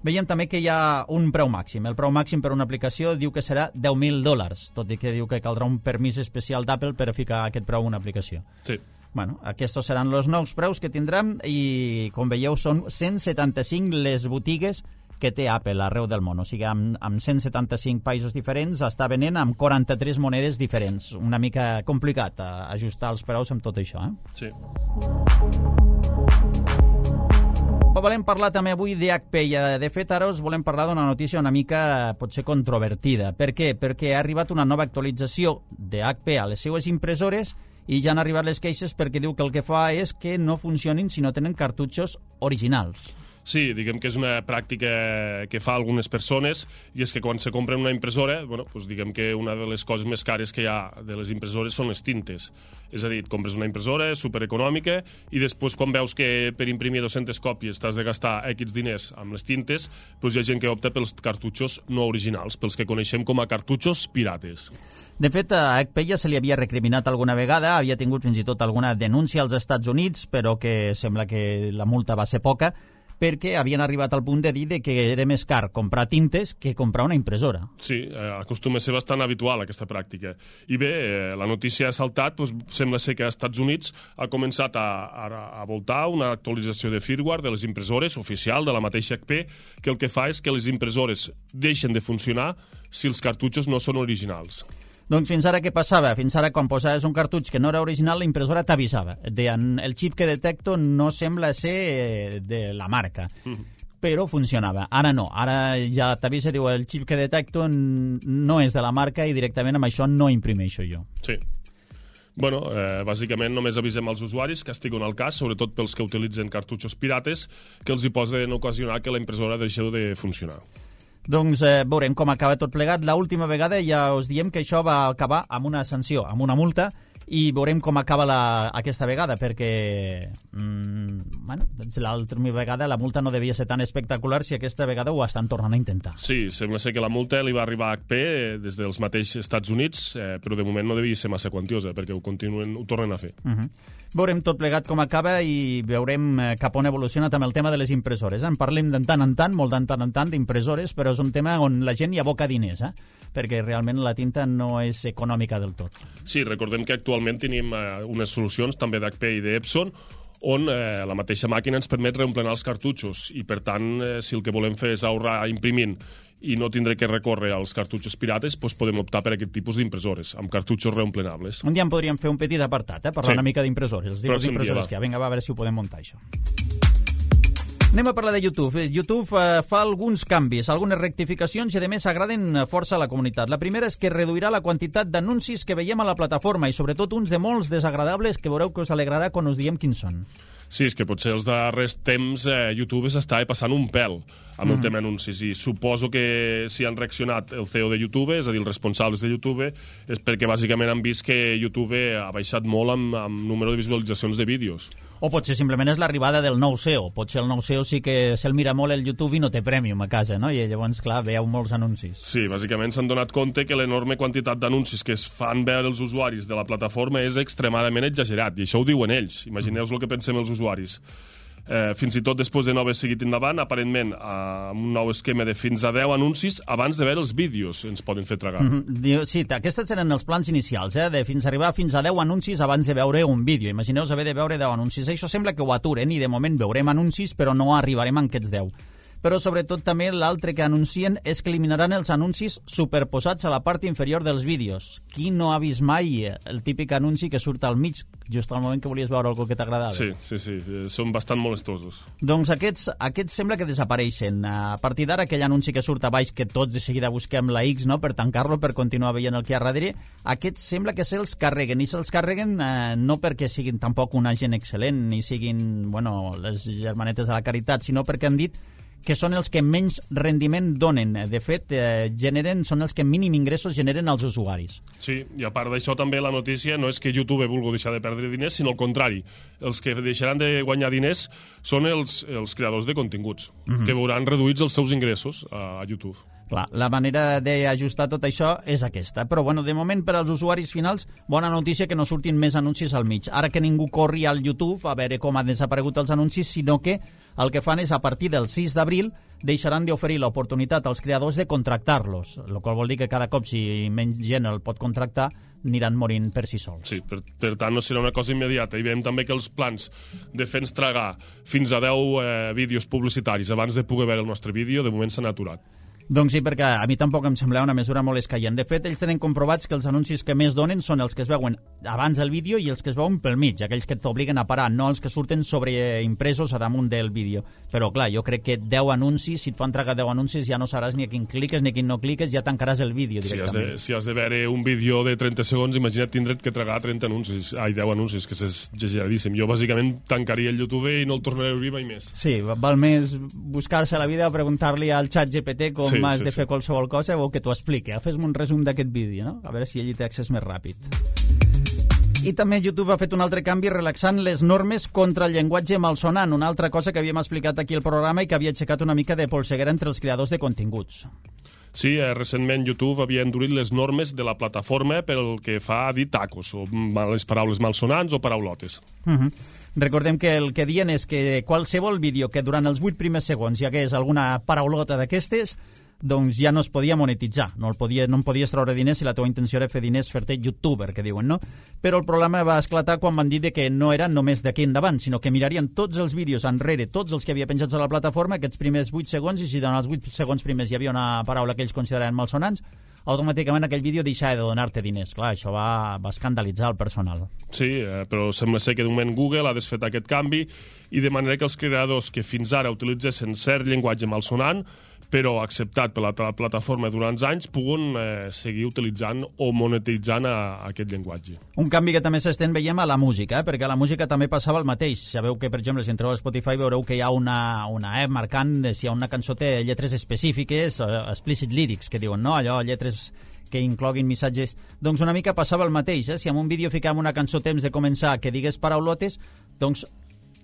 Veiem també que hi ha un preu màxim. El preu màxim per una aplicació diu que serà deu mil dòlars, tot i que diu que caldrà un permís especial d'Apple per a ficar aquest preu en una aplicació. Sí. Bueno, aquests seran els nous preus que tindrem i, com veieu, són cent setanta-cinc les botigues que té Apple arreu del món. O sigui, amb, amb cent setanta-cinc països diferents està venent amb quaranta-tres monedes diferents. Una mica complicat a ajustar els preus amb tot això, eh? Sí. Però volem parlar també avui d'H P i, de fet, ara us volem parlar d'una notícia una mica, potser, controvertida. Per què? Perquè ha arribat una nova actualització d'H P a les seues impressores i ja han arribat les queixes perquè diu que el que fa és que no funcionin si no tenen cartutxos originals. Sí, diguem que és una pràctica que fa algunes persones, i és que quan se compren una impressora, bueno, doncs diguem que una de les coses més cares que hi ha de les impressores són les tintes. És a dir, et compres una impressora supereconòmica i després quan veus que per imprimir dues-centes còpies t'has de gastar X diners amb les tintes, doncs hi ha gent que opta pels cartutxos no originals, pels que coneixem com a cartutxos pirates. De fet, a H P ja se li havia recriminat alguna vegada, havia tingut fins i tot alguna denúncia als Estats Units, però que sembla que la multa va ser poca, perquè havien arribat al punt de dir que era més car comprar tintes que comprar una impressora. Sí, eh, acostuma a ser bastant habitual aquesta pràctica. I bé, eh, la notícia ha saltat, doncs, sembla ser que als Estats Units ha començat a, a, a voltar una actualització de firmware de les impressores oficial de la mateixa H P, que el que fa és que les impressores deixen de funcionar si els cartutxos no són originals. Doncs fins ara què passava? Fins ara quan posaves un cartutx que no era original, la impressora t'avisava. Deien, el xip que detecto no sembla ser de la marca, mm. però funcionava. Ara no, ara ja t'avisa, diu, el xip que detecto no és de la marca i directament amb això no imprimeixo jo. Sí. Bueno, eh, bàsicament només avisem als usuaris que estiguen al cas, sobretot pels que utilitzen cartutxos pirates, que els hi poden ocasionar que la impressora deixi de funcionar. Doncs eh, veurem com acaba tot plegat. L'última vegada ja us diem que això va acabar amb una sanció, amb una multa, i veurem com acaba la, aquesta vegada, perquè mm, bueno, l'última vegada la multa no devia ser tan espectacular si aquesta vegada ho estan tornant a intentar. Sí, sembla ser que la multa li va arribar a H P des dels mateixos Estats Units, eh, però de moment no devia ser massa quantiosa, perquè ho continuen, ho tornen a fer. Uh -huh. Veurem tot plegat com acaba i veurem cap on evoluciona també el tema de les impressores. En parlem de tant en tant, molt de tant en tant, d'impressores, però és un tema on la gent hi aboca diners, eh? perquè realment la tinta no és econòmica del tot. Sí, recordem que actualment tenim eh, unes solucions també d'H P i d'Epson on eh, la mateixa màquina ens permet reemplenar els cartutxos i, per tant, eh, si el que volem fer és ahorrar imprimint i no tindré que recórrer als cartutxos pirates, doncs podem optar per aquest tipus d'impressores, amb cartutxos reemplenables. Un dia en podríem fer un petit apartat, eh? parlar sí. una mica d'impressores, els tipus d'impressores que hi ha. Vinga, va, a veure si ho podem muntar, això. Anem a parlar de YouTube. YouTube eh, fa alguns canvis, algunes rectificacions i, a més, agraden força a la comunitat. La primera és que reduirà la quantitat d'anuncis que veiem a la plataforma i, sobretot, uns de molts desagradables que veureu que us alegrarà quan us diem quins són. Sí, és que potser els darrers temps eh, YouTube s'està passant un pèl amb mm. el tema anuncis, i suposo que si han reaccionat el C E O de YouTube, és a dir, els responsables de YouTube, és perquè bàsicament han vist que YouTube ha baixat molt amb, amb número de visualitzacions de vídeos. O potser simplement és l'arribada del nou C E O. Potser el nou C E O sí que se'l mira molt el YouTube i no té Premium a casa, no? I llavors, clar, veieu molts anuncis. Sí, bàsicament s'han donat compte que l'enorme quantitat d'anuncis que es fan veure els usuaris de la plataforma és extremadament exagerat, i això ho diuen ells. Imagineu-vos el que pensem els usuaris. Eh, fins i tot després de no haver seguit endavant, aparentment, amb un nou esquema de fins a deu anuncis abans de veure els vídeos ens poden fer tragar. Mm-hmm. Sí, aquests eren els plans inicials, eh? de fins a arribar fins a deu anuncis abans de veure un vídeo. Imagineu-vos haver de veure deu anuncis. Això sembla que ho aturen i de moment veurem anuncis, però no arribarem a aquests deu. Però sobretot també l'altre que anuncien és que eliminaran els anuncis superposats a la part inferior dels vídeos. Qui no ha vist mai el típic anunci que surt al mig, just al moment que volies veure algo que t'agradava? Sí, sí, sí, són bastant molestosos. Doncs aquests, aquests sembla que desapareixen. A partir d'ara, aquell anunci que surt a baix, que tots de seguida busquem la X, no?, per tancar-lo, per continuar veient el que hi ha darrere, aquests sembla que se'ls carreguen, i se'ls carreguen eh, no perquè siguin tampoc una gent excel·lent, ni siguin, bueno, les germanetes de la caritat, sinó perquè han dit que són els que menys rendiment donen. De fet, eh, generen, són els que mínim ingressos generen als usuaris. Sí, i a part d'això també la notícia no és que YouTube vulgui deixar de perdre diners, sinó al contrari. Els que deixaran de guanyar diners són els, els creadors de continguts, mm-hmm. que veuran reduïts els seus ingressos a, a YouTube. Clar, la manera d'ajustar tot això és aquesta. Però, bueno, de moment, per als usuaris finals, bona notícia que no surtin més anuncis al mig. Ara que ningú corri al YouTube a veure com han desaparegut els anuncis, sinó que el que fan és, a partir del sis d'abril, deixaran d'oferir l'oportunitat als creadors de contractar-los, el qual vol dir que cada cop, si menys gent el pot contractar, aniran morint per si sols. Sí, per, per tant no serà una cosa immediata. I veiem també que els plans de fer-nos tragar fins a deu eh, vídeos publicitaris abans de poder veure el nostre vídeo, de moment s'han aturat. Doncs sí, perquè a mi tampoc em sembla una mesura molt escaient. De fet, ells tenen comprovats que els anuncis que més donen són els que es veuen abans del vídeo i els que es veuen pel mig, aquells que t'obliguen a parar, no els que surten sobreimpresos a damunt del vídeo. Però, clar, jo crec que deu anuncis, si et fan tragar deu anuncis, ja no sabràs ni a quin cliques ni a quin no cliques, ja tancaràs el vídeo directament. Si has de, si has de veure un vídeo de trenta segons, imagina't tindre't que tragar trenta anuncis, ai, deu anuncis, que és exageradíssim. Jo, bàsicament, tancaria el YouTube i no el tornaré a obrir mai més. Sí, val més buscar-se la vida a preguntar-li al xat G P T com sí, has sí, de fer sí. qualsevol cosa o que t'ho expliqui. Fes-me un resum d'aquest vídeo, no? A veure si ell hi té accés més ràpid. I també YouTube ha fet un altre canvi relaxant les normes contra el llenguatge malsonant, una altra cosa que havíem explicat aquí al programa i que havia aixecat una mica de polseguera entre els creadors de continguts. Sí, eh, recentment YouTube havia endurit les normes de la plataforma pel que fa a dir tacos, o les paraules malsonants o paraulotes. Uh -huh. Recordem que el que diuen és que qualsevol vídeo que durant els vuit primers segons hi hagués alguna paraulota d'aquestes, doncs ja no es podia monetitzar, no, el podia, no en podies treure diners si la teva intenció era fer diners, fer-te youtuber, que diuen, no? Però el problema va esclatar quan van dir que no era només d'aquí endavant, sinó que mirarien tots els vídeos enrere, tots els que havia penjats a la plataforma, aquests primers vuit segons, i si durant els vuit segons primers hi havia una paraula que ells consideraven malsonants, automàticament aquell vídeo deixava de donar-te diners. Clar, això va, va escandalitzar el personal. Sí, eh, però sembla ser que de moment Google ha desfet aquest canvi i de manera que els creadors que fins ara utilitzessin cert llenguatge malsonant però acceptat per la plataforma durant anys, puguen eh, seguir utilitzant o monetitzant a, a aquest llenguatge. Un canvi que també s'estén veiem a la música, eh? perquè a la música també passava el mateix. Sabeu que, per exemple, si entreu a Spotify veureu que hi ha una, una app marcant si hi ha una cançó té lletres específiques, uh, explicit lyrics, que diuen, no? Allò, lletres que incloguin missatges. Doncs una mica passava el mateix, eh? Si en un vídeo ficàvem una cançó temps de començar que digués paraulotes, doncs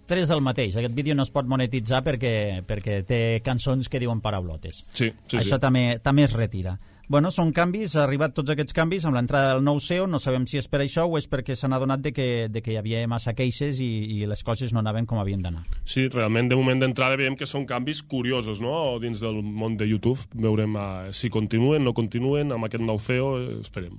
tres del mateix. Aquest vídeo no es pot monetitzar perquè, perquè té cançons que diuen paraulotes. Sí, sí, Això sí. també, també es retira. Bueno, són canvis, ha arribat tots aquests canvis amb l'entrada del nou S E O, no sabem si és per això o és perquè s'han adonat de que, de que hi havia massa queixes i, i les coses no anaven com havien d'anar. Sí, realment de moment d'entrada veiem que són canvis curiosos, no?, dins del món de YouTube. Veurem uh, si continuen, no continuen amb aquest nou S E O, eh, esperem.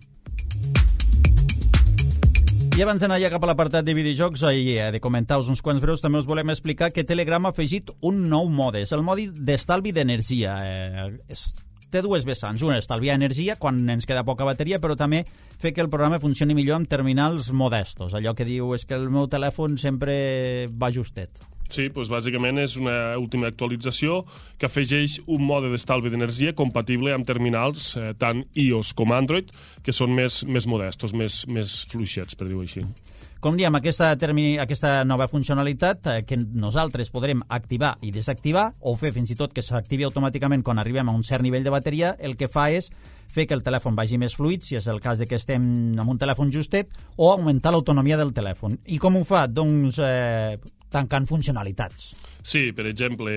I abans d'anar ja cap a l'apartat de videojocs i de comentar-vos uns quants breus, també us volem explicar que Telegram ha afegit un nou mode. És el mode d'estalvi d'energia. Eh, és, té dues vessants. Una, estalviar energia quan ens queda poca bateria, però també fer que el programa funcioni millor amb terminals modestos. Allò que diu és que el meu telèfon sempre va justet. Sí, doncs bàsicament és una última actualització que afegeix un mode d'estalvi d'energia compatible amb terminals eh, tant iOS com Android, que són més, més modestos, més, més fluixets, per dir-ho així. Com diem, aquesta, termi... aquesta nova funcionalitat eh, que nosaltres podrem activar i desactivar, o fer fins i tot que s'activi automàticament quan arribem a un cert nivell de bateria, el que fa és fer que el telèfon vagi més fluid, si és el cas de que estem amb un telèfon justet, o augmentar l'autonomia del telèfon. I com ho fa? Doncs eh, tancant funcionalitats. Sí, per exemple,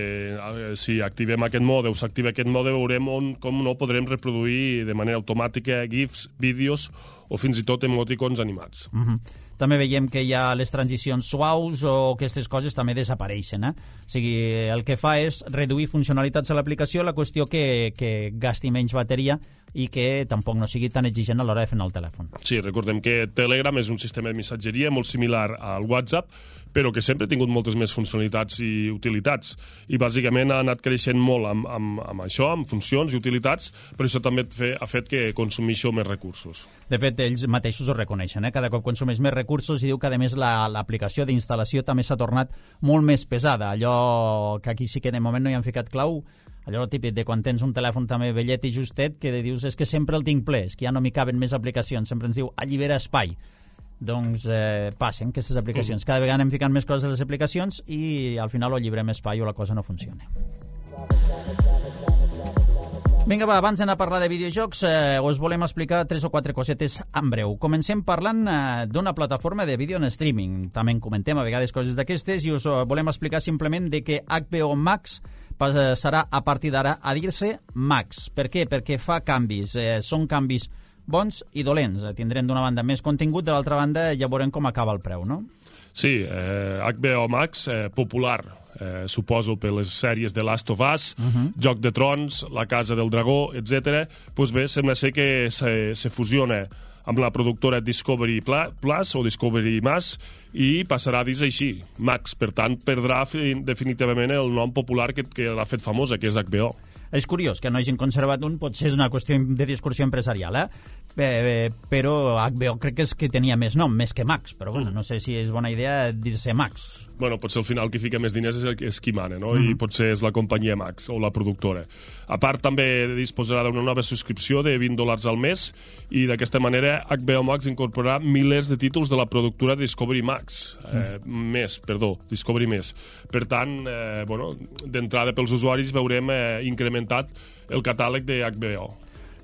si activem aquest mode o s'activa aquest mode, veurem on, com no podrem reproduir de manera automàtica GIFs, vídeos o fins i tot emoticons animats. Uh-huh. També veiem que hi ha les transicions suaus o aquestes coses també desapareixen. Eh? O sigui, el que fa és reduir funcionalitats a l'aplicació, la qüestió que, que gasti menys bateria i que tampoc no sigui tan exigent a l'hora de fer el telèfon. Sí, recordem que Telegram és un sistema de missatgeria molt similar al WhatsApp, però que sempre ha tingut moltes més funcionalitats i utilitats. I bàsicament ha anat creixent molt amb, amb, amb això, amb funcions i utilitats, però això també ha fet que consumeixo més recursos. De fet, ells mateixos ho reconeixen. Eh? Cada cop consumeix més recursos i diu que, a més, la, l'aplicació d'instal·lació també s'ha tornat molt més pesada. Allò que aquí sí que de moment no hi han ficat clau, allò típic de quan tens un telèfon també vellet i justet, que dius és que sempre el tinc ple, és que ja no m'hi caben més aplicacions, sempre ens diu allibera espai. Doncs eh, passen aquestes aplicacions. Cada vegada anem ficant més coses a les aplicacions i al final o llibrem espai o la cosa no funciona. Vinga, va, abans d'anar a parlar de videojocs, eh, us volem explicar tres o quatre cosetes en breu. Comencem parlant eh, d'una plataforma de vídeo en streaming. També en comentem a vegades coses d'aquestes i us volem explicar simplement de que H B O Max passarà a partir d'ara a dir-se Max. Per què? Perquè fa canvis. Eh, són canvis bons i dolents. Tindrem d'una banda més contingut, de l'altra banda ja veurem com acaba el preu, no? Sí, eh, H B O Max, eh, popular, eh, suposo per les sèries de Last of Us, uh-huh. Joc de Trons, La Casa del Dragó, etcètera. Doncs bé, sembla ser que se, se fusiona amb la productora Discovery Plus o Discovery Más, i passarà a dir així, Max. Per tant, perdrà definitivament el nom popular que, que l'ha fet famosa, que és H B O. És curiós que no hagin conservat un, potser és una qüestió de discursió empresarial, eh? eh però H B O crec que és que tenia més nom, més que Max, però bueno, no sé si és bona idea dir-se Max. Bueno, potser al final qui fica més diners és, el, és qui mana, no? Mm-hmm. I potser és la companyia Max o la productora. A part, també disposarà d'una nova subscripció de vint dòlars al mes i d'aquesta manera H B O Max incorporarà milers de títols de la productora Discovery Max. Eh, mm. Més, perdó, Discovery Més. Per tant, eh, bueno, d'entrada pels usuaris veurem eh, incrementat el catàleg de H B O.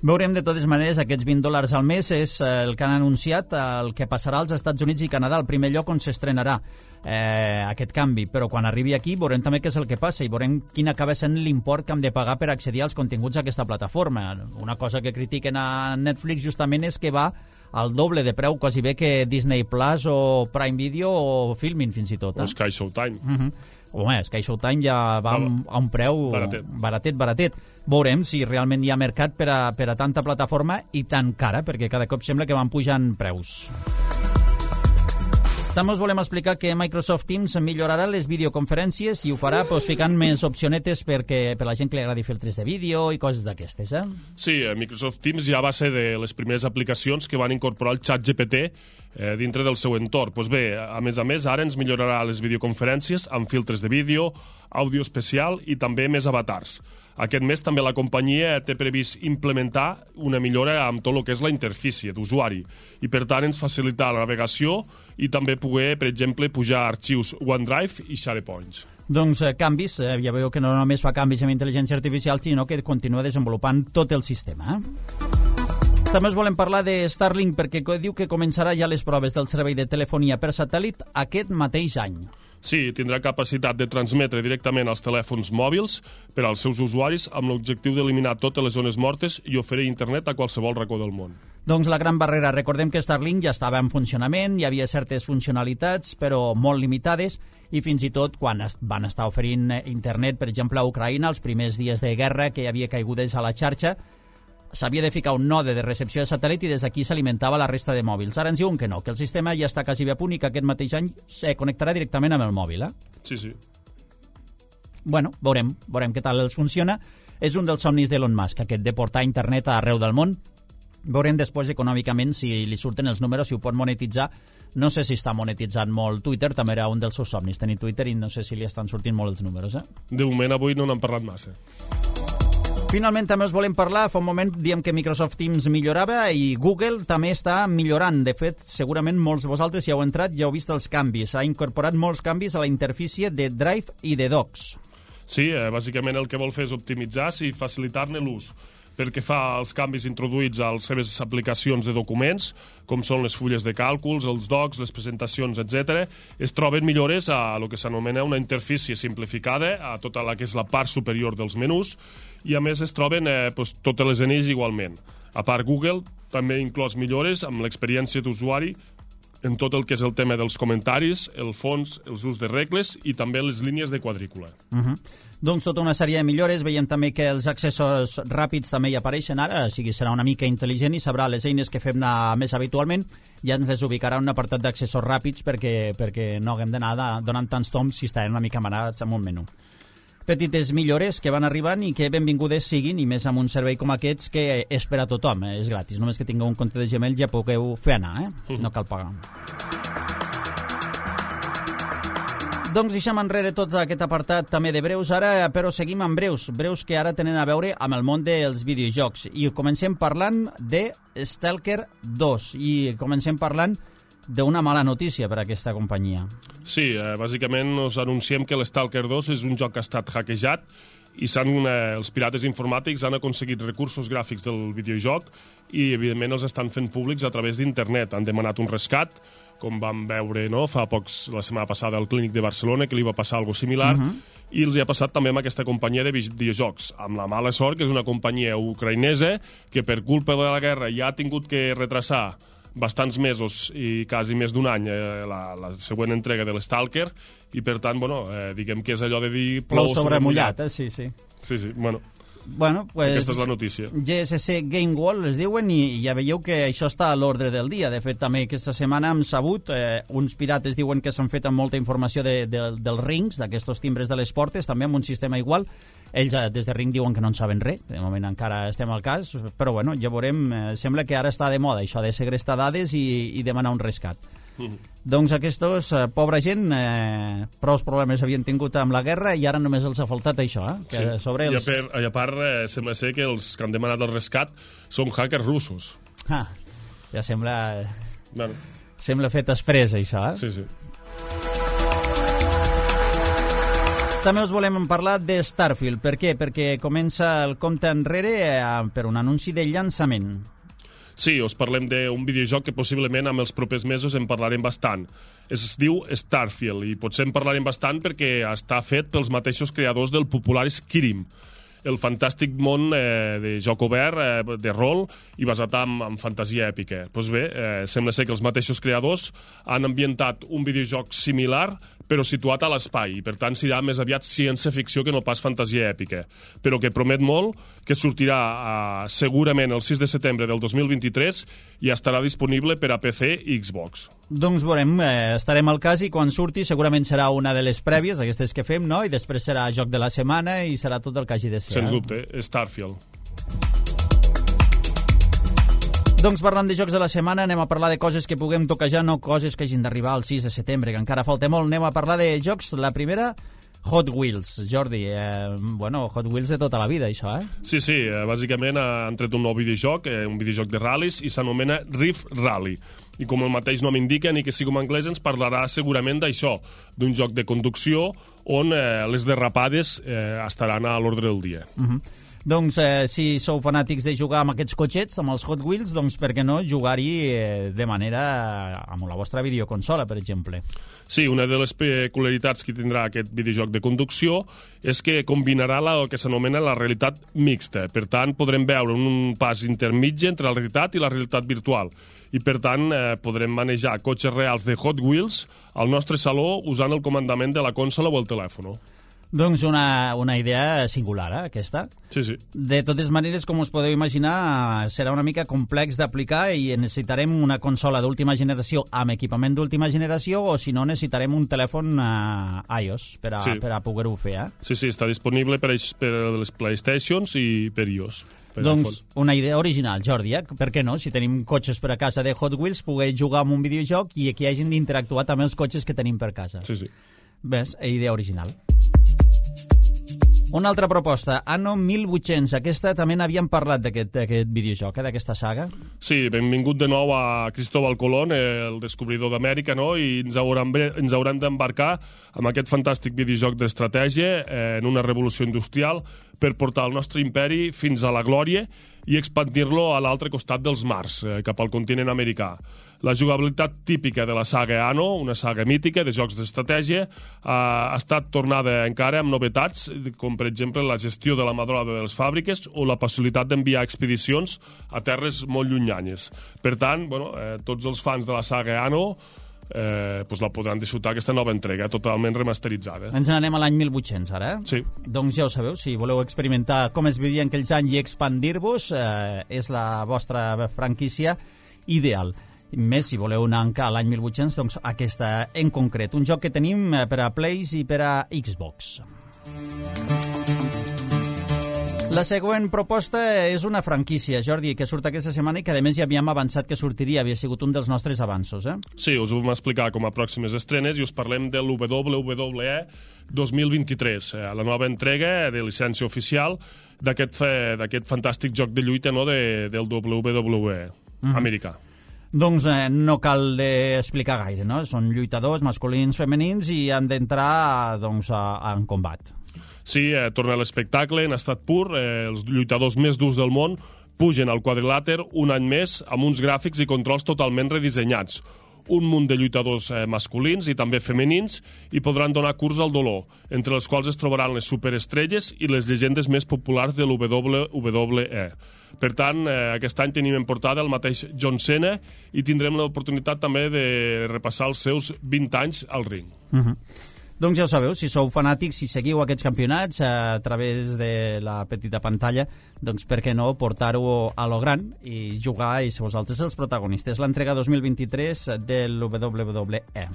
Veurem de totes maneres, aquests vint dòlars al mes és el que han anunciat, el que passarà als Estats Units i Canadà, el primer lloc on s'estrenarà eh, aquest canvi, però quan arribi aquí veurem també què és el que passa i veurem quin acaba sent l'import que hem de pagar per accedir als continguts d'aquesta plataforma. Una cosa que critiquen a Netflix justament és que va al doble de preu quasi bé que Disney Plus o Prime Video o Filmin fins i tot. Eh? O Sky Showtime. Uh-huh. Home, Sky Showtime ja va a un, a un preu baratet. baratet, baratet. Veurem si realment hi ha mercat per a, per a tanta plataforma i tan cara, perquè cada cop sembla que van pujant preus. També us volem explicar que Microsoft Teams millorarà les videoconferències i ho farà pues, ficant més opcionetes perquè, per la gent que li agradi filtres de vídeo i coses d'aquestes. Eh? Sí, Microsoft Teams ja va ser de les primeres aplicacions que van incorporar el xat G P T eh, dintre del seu entorn. Pues bé, a més a més, ara ens millorarà les videoconferències amb filtres de vídeo, àudio especial i també més avatars. Aquest mes també la companyia té previst implementar una millora amb tot el que és la interfície d'usuari i, per tant, ens facilitar la navegació i també poder, per exemple, pujar arxius OneDrive i SharePoint. Doncs eh, canvis, eh, ja veieu que no només fa canvis amb intel·ligència artificial, sinó que continua desenvolupant tot el sistema. Eh? També us volem parlar de Starlink perquè diu que començarà ja les proves del servei de telefonia per satèl·lit aquest mateix any. Sí, tindrà capacitat de transmetre directament als telèfons mòbils per als seus usuaris amb l'objectiu d'eliminar totes les zones mortes i oferir internet a qualsevol racó del món. Doncs la gran barrera, recordem que Starlink ja estava en funcionament, hi havia certes funcionalitats, però molt limitades, i fins i tot quan van estar oferint internet, per exemple, a Ucraïna, els primers dies de guerra que hi havia caigudes a la xarxa, s'havia de ficar un node de recepció de satèl·lit i des d'aquí s'alimentava la resta de mòbils. Ara ens diuen que no, que el sistema ja està quasi bé a punt i que aquest mateix any se connectarà directament amb el mòbil. Eh? Sí, sí. Bueno, veurem, veurem què tal els funciona. És un dels somnis d'Elon Musk, aquest de portar internet a arreu del món. Veurem després econòmicament si li surten els números, si ho pot monetitzar. No sé si està monetitzant molt Twitter, també era un dels seus somnis, tenir Twitter, i no sé si li estan sortint molt els números. Eh? De moment avui no n'han parlat massa. Finalment també us volem parlar, fa un moment diem que Microsoft Teams millorava i Google també està millorant. De fet, segurament molts de vosaltres, si heu entrat, ja heu vist els canvis. Ha incorporat molts canvis a la interfície de Drive i de Docs. Sí, eh, bàsicament el que vol fer és optimitzar i facilitar-ne l'ús. Pel que fa als canvis introduïts a les seves aplicacions de documents, com són les fulles de càlculs, els docs, les presentacions, etcètera, es troben millores a el que s'anomena una interfície simplificada, a tota la que és la part superior dels menús, i a més es troben eh, doncs, totes les eines igualment. A part, Google també ha inclòs millores amb l'experiència d'usuari en tot el que és el tema dels comentaris, el fons, els ús de regles i també les línies de quadrícula. Uh-huh. Doncs tota una sèrie de millores. Veiem també que els accessos ràpids també hi apareixen ara, o sigui, serà una mica intel·ligent i sabrà les eines que fem anar més habitualment, ja ens les ubicarà en un apartat d'accessos ràpids perquè, perquè no haguem d'anar donant tants toms si estarem una mica manats amb un menú. Petites millores que van arribant i que benvingudes siguin, i més amb un servei com aquests que és per a tothom, eh? És gratis. Només que tingueu un compte de Gmail ja pugueu fer anar, eh? Uh-huh. No cal pagar. Doncs deixem enrere tot aquest apartat també de breus ara, però seguim amb breus, breus que ara tenen a veure amb el món dels videojocs. I comencem parlant de Stalker dos, i comencem parlant d'una mala notícia per a aquesta companyia. Sí, eh, bàsicament us anunciem que l'Stalker dos és un joc que ha estat hackejat i s'han, eh, els pirates informàtics han aconseguit recursos gràfics del videojoc i, evidentment, els estan fent públics a través d'internet. Han demanat un rescat, com vam veure no, fa pocs, la setmana passada al Clínic de Barcelona, que li va passar alguna similar, uh-huh. i els hi ha passat també amb aquesta companyia de videojocs, amb la mala sort que és una companyia ucraïnesa que per culpa de la guerra ja ha tingut que retrasar bastants mesos i quasi més d'un any eh, la, la següent entrega de l'Stalker, i per tant, bueno, eh, diguem que és allò de dir plou sobre mullat, eh? Sí, sí. Sí, sí, bueno. Bueno, pues, aquesta és la notícia. G S C Game World es diuen i ja veieu que això està a l'ordre del dia. De fet, també aquesta setmana hem sabut, eh, uns pirates diuen que s'han fet amb molta informació de, de, dels rings, d'aquests timbres de les portes, també amb un sistema igual. Ells eh, des de Ring diuen que no en saben res, de moment encara estem al cas, però bueno, ja veurem, eh, sembla que ara està de moda això de segrestar dades i, i demanar un rescat. Mm. Doncs aquests, eh, pobra gent, eh, prou problemes havien tingut amb la guerra i ara només els ha faltat això, eh? Que sí. sobre els... I, a per, I a part, eh, sembla ser que els que han demanat el rescat són hackers russos. Ah, ja sembla... Bueno. Sembla fet després, això, eh? Sí, sí. També us volem parlar de Starfield. Per què? Perquè comença el compte enrere eh, per un anunci de llançament. Sí, us parlem d'un videojoc que possiblement amb els propers mesos en parlarem bastant. Es diu Starfield i potser en parlarem bastant perquè està fet pels mateixos creadors del popular Skyrim, el fantàstic món eh, de joc obert, eh, de rol i basat en, en fantasia èpica. Doncs bé, eh, sembla ser que els mateixos creadors han ambientat un videojoc similar però situat a l'espai, i per tant serà més aviat ciència-ficció que no pas fantasia èpica, però que promet molt, que sortirà eh, segurament el sis de setembre del dos mil vint-i-tres i estarà disponible per a P C i Xbox. Doncs veurem, eh, estarem al cas i quan surti segurament serà una de les prèvies, aquestes que fem, no? I després serà joc de la setmana i serà tot el que hagi de ser. Sens eh? dubte, Starfield. Doncs parlant de jocs de la setmana, anem a parlar de coses que puguem toquejar, no coses que hagin d'arribar al sis de setembre, que encara falta molt. Anem a parlar de jocs. La primera, Hot Wheels. Jordi, eh, bueno, Hot Wheels de tota la vida, això, eh? Sí, sí, eh, bàsicament han tret un nou videojoc, eh, un videojoc de ral·lis, i s'anomena Rift Rally. I com el mateix nom indica, ni que sigui en anglès, ens parlarà segurament d'això, d'un joc de conducció on eh, les derrapades eh, estaran a l'ordre del dia. Uh-huh. Doncs eh, si sou fanàtics de jugar amb aquests cotxets, amb els Hot Wheels, doncs per què no jugar-hi eh, de manera amb la vostra videoconsola, per exemple. Sí, una de les peculiaritats que tindrà aquest videojoc de conducció és que combinarà la, el que s'anomena la realitat mixta. Per tant, podrem veure un pas intermitge entre la realitat i la realitat virtual. I, per tant, eh, podrem manejar cotxes reals de Hot Wheels al nostre saló usant el comandament de la consola o el telèfon. Doncs una, una idea singular, eh, aquesta. Sí, sí. De totes maneres, com us podeu imaginar, serà una mica complex d'aplicar i necessitarem una consola d'última generació amb equipament d'última generació o, si no, necessitarem un telèfon uh, iOS per a, sí. per a poder-ho fer. Eh? Sí, sí, està disponible per, per les PlayStations i per iOS. Per doncs una idea original, Jordi, eh? Per què no? Si tenim cotxes per a casa de Hot Wheels, poder jugar amb un videojoc i que hagin d'interactuar també els cotxes que tenim per casa. Sí, sí. Ves, idea original. Una altra proposta, Anno mil vuit-cents. Aquesta també n'havíem parlat d'aquest videojoc, eh, d'aquesta saga. Sí, benvingut de nou a Cristóbal Colón, el descobridor d'Amèrica, no? I ens hauran, ens hauran d'embarcar amb aquest fantàstic videojoc d'estratègia eh, en una revolució industrial per portar el nostre imperi fins a la glòria i expandir-lo a l'altre costat dels mars, eh, cap al continent americà. La jugabilitat típica de la saga Anno, una saga mítica de jocs d'estratègia, eh, ha estat tornada encara amb novetats, com per exemple la gestió de la mà d'obra de les fàbriques o la possibilitat d'enviar expedicions a terres molt llunyanyes. Per tant, bueno, eh, tots els fans de la saga Anno eh, pues la podran disfrutar aquesta nova entrega, totalment remasteritzada. Ens n'anem a l'any mil vuit-cents, ara, eh? Sí. Doncs ja ho sabeu, si voleu experimentar com es vivia en aquells anys i expandir-vos, eh, és la vostra franquícia ideal. Més, si voleu anar a l'any mil vuit-cents, doncs aquesta en concret. Un joc que tenim per a Plays i per a Xbox. La següent proposta és una franquícia, Jordi, que surt aquesta setmana i que, a més, ja havíem avançat que sortiria, havia sigut un dels nostres avanços, eh? Sí, us ho vam explicar com a pròximes estrenes i us parlem de l'W W E dos mil vint-i-tres, la nova entrega de llicència oficial d'aquest fantàstic joc de lluita, no, de, del W W E mm-hmm. americà. Doncs eh, no cal explicar gaire, no? Són lluitadors masculins, femenins i han d'entrar doncs, a, a, en combat. Sí, eh, torna a l'espectacle en estat pur, eh, els lluitadors més durs del món pugen al quadrilàter un any més amb uns gràfics i controls totalment redissenyats. Un munt de lluitadors eh, masculins i també femenins i podran donar curs al dolor, entre els quals es trobaran les superestrelles i les llegendes més populars de l'W W E. Per tant, eh, aquest any tenim en portada el mateix John Cena i tindrem l'oportunitat també de repassar els seus vint anys al ring. Uh-huh. Doncs ja ho sabeu, si sou fanàtics, si seguiu aquests campionats a través de la petita pantalla, doncs per què no portar-ho a lo gran i jugar i ser vosaltres els protagonistes. L'entrega dos mil vint-i-tres del W W E.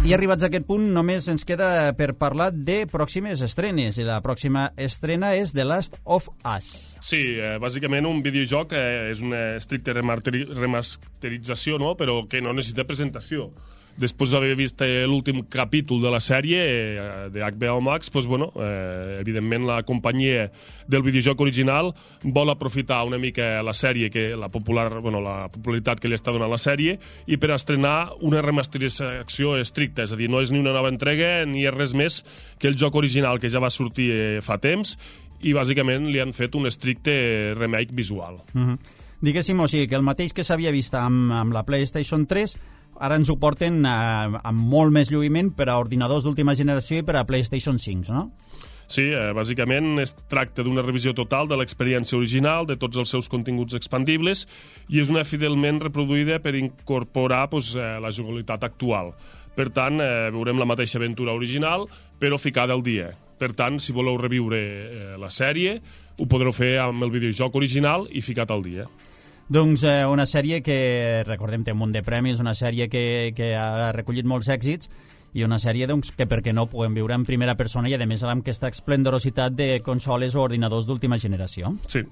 I arribats a aquest punt, només ens queda per parlar de pròximes estrenes. I la pròxima estrena és The Last of Us. Sí, eh, bàsicament un videojoc eh, és una estricta remasterització, no? Però que no necessita presentació. Després d'haver vist eh, l'últim capítol de la sèrie eh, de H B O Max, doncs, bueno, eh, evidentment la companyia del videojoc original vol aprofitar una mica la sèrie, que la, popular, bueno, la popularitat que li està donant la sèrie, i per estrenar una remasterització estricta, és a dir, no és ni una nova entrega ni és res més que el joc original que ja va sortir eh, fa temps, i bàsicament li han fet un estricte remake visual. Mm-hmm. Diguéssim, o sigui, que el mateix que s'havia vist amb, amb la PlayStation tres, ara ens ho porten eh, amb molt més lluïment per a ordinadors d'última generació i per a PlayStation cinc, no? Sí, eh, bàsicament es tracta d'una revisió total de l'experiència original, de tots els seus continguts expandibles, i és una fidelment reproduïda per incorporar pues, eh, la jugabilitat actual. Per tant, eh, veurem la mateixa aventura original, però ficada al dia. Per tant, si voleu reviure eh, la sèrie, ho podreu fer amb el videojoc original i ficat al dia. Doncs eh, una sèrie que, recordem, té un munt de premis, una sèrie que, que ha recollit molts èxits i una sèrie doncs, que, per què no, puguem viure en primera persona i, a més, amb aquesta esplendorositat de consoles o ordinadors d'última generació. Sí.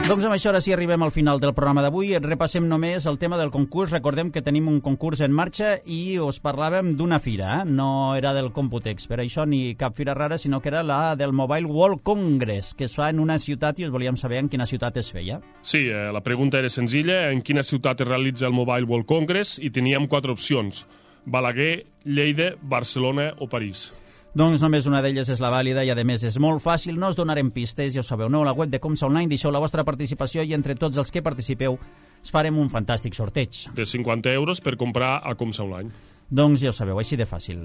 Doncs amb això ara sí arribem al final del programa d'avui. Repassem només el tema del concurs. Recordem que tenim un concurs en marxa i us parlàvem d'una fira. Eh? No era del Computex, per això ni cap fira rara, sinó que era la del Mobile World Congress, que es fa en una ciutat i us volíem saber en quina ciutat es feia. Sí, eh, la pregunta era senzilla. En quina ciutat es realitza el Mobile World Congress? I teníem quatre opcions. Balaguer, Lleida, Barcelona o París. Doncs només una d'elles és la vàlida i, a més, és molt fàcil. No us donarem pistes, ja ho sabeu. Aneu a la web de Comsa Online, deixeu la vostra participació i entre tots els que participeu es farem un fantàstic sorteig. De cinquanta euros per comprar a Comsa Online. Doncs ja ho sabeu, així de fàcil.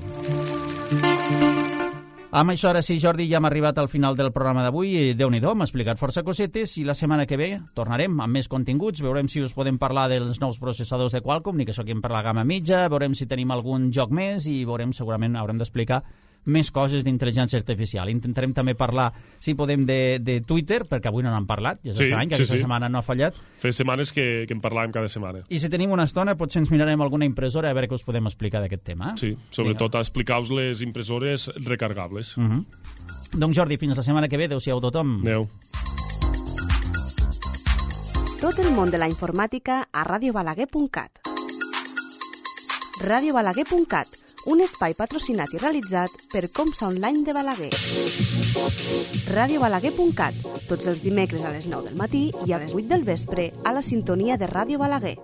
Amb això, ara sí, Jordi, ja hem arribat al final del programa d'avui. Déu-n'hi-do, m'ha explicat força cosetes i la setmana que ve tornarem amb més continguts. Veurem si us podem parlar dels nous processadors de Qualcomm, ni que soquem per la gamma mitja, veurem si tenim algun joc més i veurem, segurament haurem d'explicar més coses d'intel·ligència artificial. Intentarem també parlar, si podem, de, de Twitter, perquè avui no n'hem parlat, ja és sí, estrany, que sí, aquesta sí. setmana no ha fallat. Fa setmanes que, que en parlàvem cada setmana. I si tenim una estona, potser ens mirarem alguna impressora a veure què us podem explicar d'aquest tema. Sí, sobretot a explicar-vos les impressores recargables. Uh -huh. Doncs Jordi, fins la setmana que ve. Adéu-siau tothom. Adéu. Tot el món de la informàtica a radio balaguer punt cat. radio balaguer punt cat, un espai patrocinat i realitzat per Comsa Online de Balaguer. radio balaguer punt cat, tots els dimecres a les nou del matí i a les vuit del vespre a la sintonia de Ràdio Balaguer.